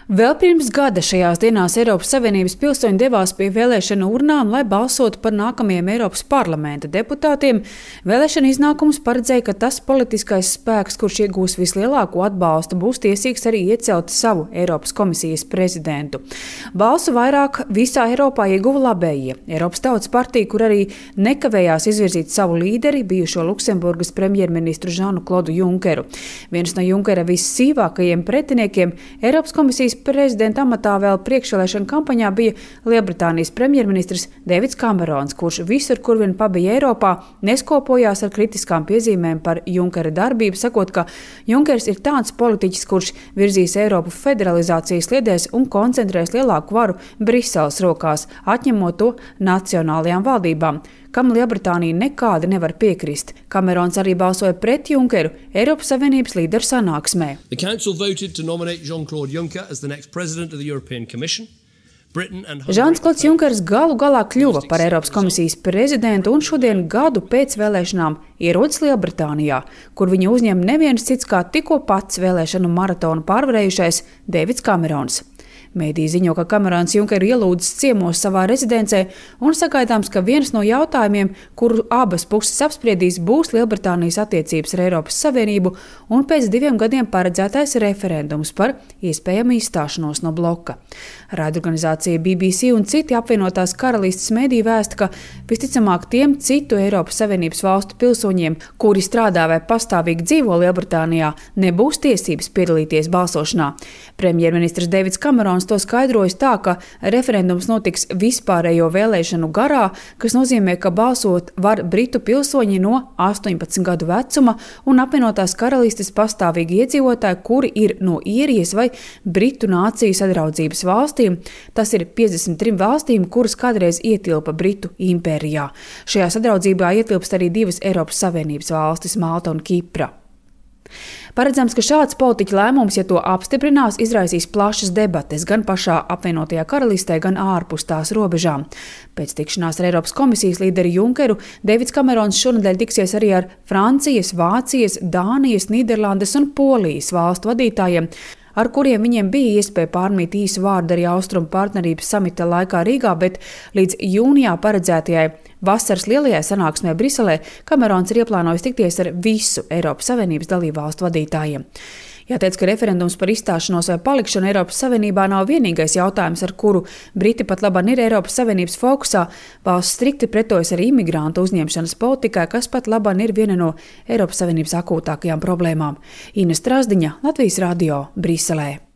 Vēl pirms gada šajās dienās Eiropas Savienības pilsoņi devās pie vēlēšanu urnām, lai balsotu par nākamajiem Eiropas parlamenta deputātiem. Vēlēšana iznākums paredzēja, ka tas politiskais spēks, kurš iegūs vislielāko atbalstu, būs tiesīgs arī iecelt savu Eiropas komisijas prezidentu. Balsu vairāk visā Eiropā ieguva labējie. Eiropas Tautas partija, kur arī nekavējās izvirzīt savu līderi, bijušo Luksemburgas premjerministru Žanu-Klodu Junkeru. Viens no Junkera vissīvākajiem pretiniekiem Eiropas komisijas prezidenta amatā vēl priekšvēlēšana kampaņā bija Lielbritānijas premjerministrs Deivids Kamerons, kurš visur, kur vien pabija Eiropā, neskopojās ar kritiskām piezīmēm par Junkera darbību, sakot, ka Junkers ir tāds politiķis, kurš virzīs Eiropu federalizācijas sliedēs un koncentrēs lielāku varu Briseles rokās, atņemot to nacionālajām valdībām, kam Lielbritānija nekādi nevar piekrist. Kamerons arī balsoja pret Junkeru Eiropas Savienības līderu sanāksmē. Žans-Klods Junkers galu galā kļuva par Eiropas komisijas prezidentu un šodien gadu pēc vēlēšanām ierodas Lielbritānijā, kur viņu uzņem neviens cits kā tikko pats vēlēšanu maratonu pārvarējušais Deivids Kamerons. Mēdī ziņo, ka Kamerons Junkeru ielūdzis ciemos savā rezidencē un sagaidāms, ka viens no jautājumiem, kuru abas puses apspriedīs, būs Lielbritānijas attiecības ar Eiropas Savienību un pēc 2 gadiem paredzētais referendums par iespējamu izstāšanos no bloka. Raidorganizācija BBC un citi apvienotās karalistes mēdī vēsta, ka visticamāk tiem citu Eiropas Savienības valstu pilsoņiem, kuri strādā vai pastāvīgi dzīvo Lielbritānijā, nebūs tiesības piedalīties balsošanā. Premjerministrs Deivids Kamerons to skaidrojas tā, ka referendums notiks vispārējo vēlēšanu garā, kas nozīmē, ka balsot var britu pilsoņi no 18 gadu vecuma un apvienotās karalistes pastāvīgi iedzīvotāji, kuri ir no Īrijas vai Britu nāciju sadraudzības valstīm. Tas ir 53 valstīm, kuras kādreiz ietilpa Britu impērijā. Šajā sadraudzībā ietilpst arī 2 Eiropas Savienības valstis – Malta un Kipra. Paredzams, ka šāds politiķa lēmums, ja to apstiprinās, izraisīs plašas debates gan pašā apvienotajā karalistē, gan ārpus tās robežām. Pēc tikšanās ar Eiropas komisijas līderi Junkeru Deivids Kamerons šonedēļ tiksies arī ar Francijas, Vācijas, Dānijas, Nīderlandes un Polijas valstu vadītājiem, ar kuriem viņiem bija iespēja pārmīt īsu vārdu arī Austrumu partnerības samita laikā Rīgā, bet līdz jūnijā paredzētajai vasaras lielajai sanāksmē Briselē Kamerons ir ieplānojis tikties ar visu Eiropas Savienības dalībvalstu vadītājiem. Jāteic, ka referendums par izstāšanos vai palikšanu Eiropas Savienībā nav vienīgais jautājums, ar kuru Briti pat labāk ir Eiropas Savienības fokusā. Valsts strikti pretojas arī imigrantu uzņemšanas politikai, kas pat labāk ir viena no Eiropas Savienības akūtākajām problēmām. Ina Strazdiņa, Latvijas radio, Briselē.